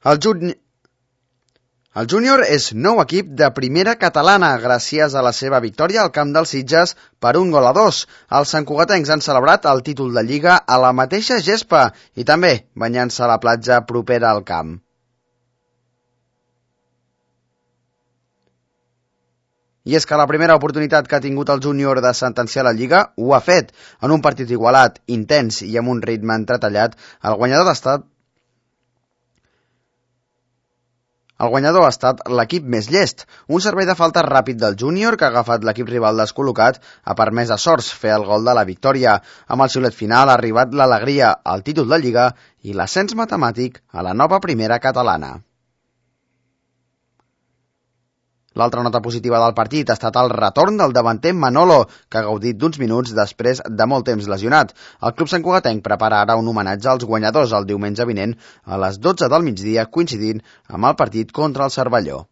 El júnior és nou equip de primera catalana gràcies a la seva victòria al camp dels Sitges per 1-2. Els santcugatencs han celebrat el títol de Lliga a la mateixa gespa i també banyant-se a la platja propera al camp. I és que la primera oportunitat que ha tingut el júnior de sentenciar la Lliga ho ha fet. En un partit igualat, intens i amb un ritme entretallat, el guanyador ha estat l'equip més llest. Un servei de falta ràpid del júnior que ha agafat l'equip rival descol·locat ha permès a Sorts fer el gol de la victòria. Amb el xiulet final ha arribat l'alegria, el títol de Lliga i l'ascens matemàtic a la nova primera catalana. L'altra nota positiva del partit ha estat el retorn del davanter Manolo, que ha gaudit d'uns minuts després de molt temps lesionat. El club santcugatenc prepara ara un homenatge als guanyadors el diumenge vinent a les 12 del migdia, coincidint amb el partit contra el Cervelló.